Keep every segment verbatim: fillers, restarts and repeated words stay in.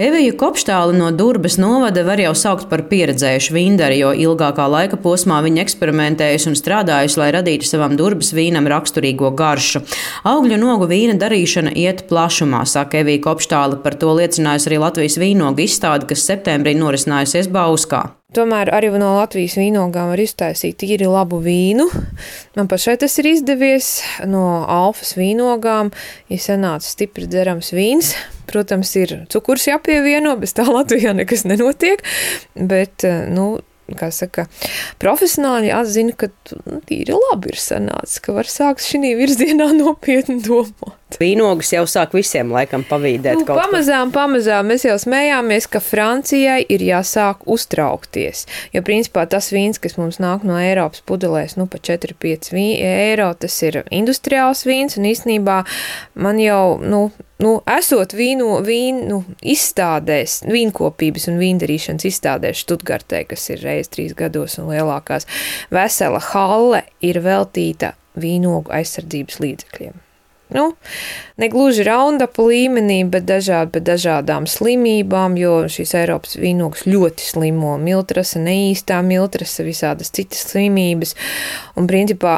Eviju Kopštāli no Durbes novada var jau saukt par pieredzējušu vīndari, jo ilgākā laika posmā viņa eksperimentējusi un strādājusi, lai radītu savam Durbes vīnam raksturīgo garšu. Augļu un ogu vīna darīšana iet plašumā, saka Evija Kopštāli. Par to liecinājusi arī Latvijas vīnogu izstāde, kas septembrī norisinājusies Bauskā. Tomēr arī no Latvijas vīnogām var iztaisīt tīri labu vīnu. Man pašai tas ir izdevies. No Alfas vīnogām ir sanācis stipri dzerams vīns. Protams, ir cukurs jāpievieno, bez tā Latvijā nekas nenotiek, bet, nu, kā saka, profesionāļi atzina, ka nu, tīri labi ir sanācis, ka var sākt šī virzienā nopietni domāt. Vīnogus jau sāk visiem laikam pavīdēt nu, kaut ko. Pamazām, pamazām mēs jau smējāmies, ka Francijai ir jāsāk uztraukties, jo principā tas vīns, kas mums nāk no Eiropas pudelēs, nu pa četri pieci eiro, tas ir industriāls vīns, un īstenībā man jau, nu, Nu, esot vīnu, vīnu izstādēs, vīnkopības un vīndarīšanas izstādēs Štutgartē, kas ir reiz trīs gados un lielākās, vesela halle ir veltīta vīnogu aizsardzības līdzekļiem. Nu, negluži raundapu līmenī, bet, dažādi, bet dažādām slimībām, jo šīs Eiropas vīnogas ļoti slimo, miltrasa, neīstā miltrasa, visādas citas slimības, un principā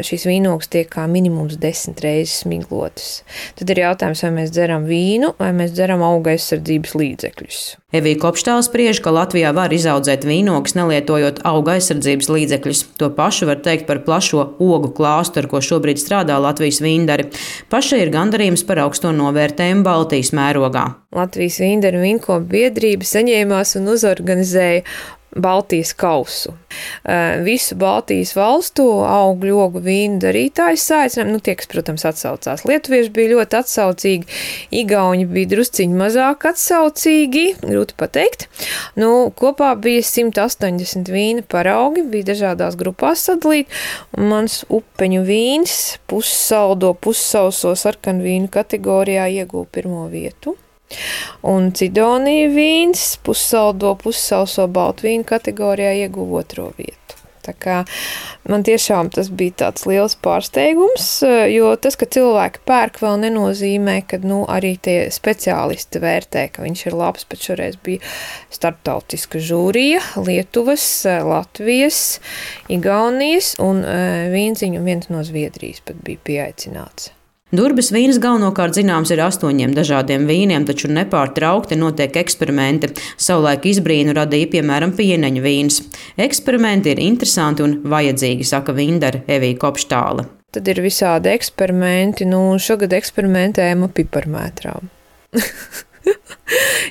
šīs vīnogas tiek kā minimums desmit reizes smiglotas. Tad ir jautājums, vai mēs dzeram vīnu, vai mēs dzeram auga aizsardzības līdzekļus. Evija Kopštāli spriež, ka Latvijā var izaudzēt vīnogas, nelietojot auga aizsardzības līdzekļus. To pašu var teikt par plašo ogu klāstu, ar ko šobrīd strādā Latvijas vīndari. Pašai ir gandarījums par augsto novērtējumu Baltijas mērogā. Latvijas vīndaru vīnkopu biedrība saņēmās un uzorganizēja Baltijas kausu. Visu Baltijas valstu augļu ogu vīnu darītājus saicinājumi, nu tie, kas, protams, atsaucās. Lietuvieši bija ļoti atsaucīgi, igauņi bija drusciņi mazāk atsaucīgi, grūti pateikt. Nu, kopā bija simt astoņdesmit vīna paraugi, bija dažādās grupās sadalīti, un mans upeņu vīns pussaldo, pussauso sarkanu vīnu kategorijā ieguva pirmo vietu. Un Cidonija vīns pussaldo, pussauso baltu vīnu kategorijā ieguva otro vietu. Tā kā man tiešām tas bija tāds liels pārsteigums, jo tas, ka cilvēki pērk, vēl nenozīmē, ka nu, arī tie speciālisti vērtē, ka viņš ir labs, bet šoreiz bija starptautiska žūrija, Lietuvas, Latvijas, Igaunijas un vīnziņu viens no Zviedrijas pat bija pieaicināts. Durbes vīns galvenokārt zināms ir astoņiem dažādiem vīniem, taču nepārtraukti notiek eksperimenti. Savulaik izbrīnu radīja, piemēram, pieneņu vīns. Eksperimenti ir interesanti un vajadzīgi, saka vīndare Evija Kopštāli. Tad ir visādi eksperimenti, nu šogad eksperimentējam ar piparmētrām.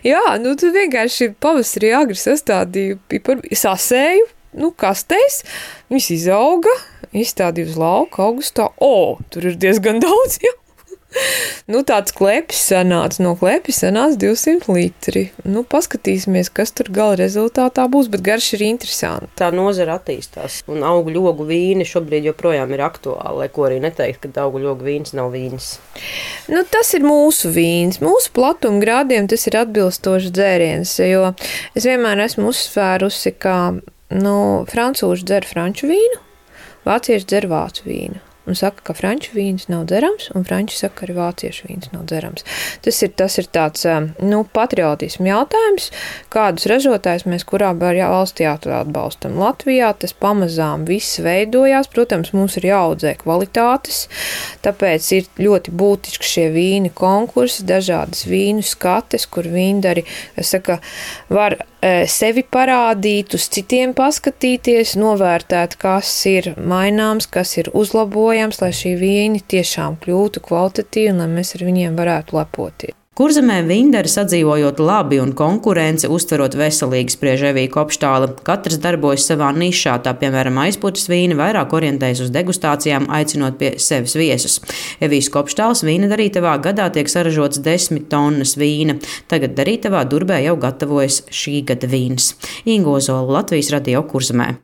Jā, nu tu vienkārši pavasarī agri sastādīju piparu, sasēju, nu kastēs, viņas izauga, izstādīja uz lauka augustā. O, tur ir diezgan daudz, jā. Nu, tāds klepis sanāca, no klepis sanāca divsimt litri. Nu, paskatīsimies, kas tur gala rezultātā būs, bet garš ir interesanti. Tā nozara attīstās, un augļu ogu vīni šobrīd joprojām ir aktuāli, lai ko arī neteikt, ka augļu ogu vīns nav vīns. Nu, tas ir mūsu vīns. Mūsu platuma grādiem tas ir atbilstošs dzēriens, jo es vienmēr esmu uzsvērusi, ka nu, francūži dzer franču vīnu, vācieši dzer vācu vīnu. Un saka, ka franču vīns nav dzerams, un franči saka, ka arī vāciešu vīns nav dzerams. Tas ir, tas ir tāds, nu, patriotismu jautājums, kādus ražotājus mēs kurā valstī atbalstam. Latvijā tas pamazām viss veidojās, protams, mums ir jāaudzē kvalitātes, tāpēc ir ļoti būtiski šie vīni konkursi, dažādas vīnu skates, kur vīndari, es saka, var sevi parādīt, uz citiem paskatīties, novērtēt, kas ir maināms, kas ir uzlabojams, lai šī vīni tiešām kļūtu kvalitatīvi un lai mēs ar viņiem varētu lepoties. Kurzemē vīndari sadzīvojot labi un konkurence uztverot veselīgi, spriež Evija Kopštāli. Katrs darbojas savā nišā, tā piemēram aizputes vīni vairāk orientējas uz degustācijām, aicinot pie sevis viesus. Evijas Kopštāles vīna darītavā gadā tiek saražots desmit tonnas vīna. Tagad darītavā Durbē jau gatavojas šī gada vīns. Inga Ozola, Latvijas radio Kurzemē.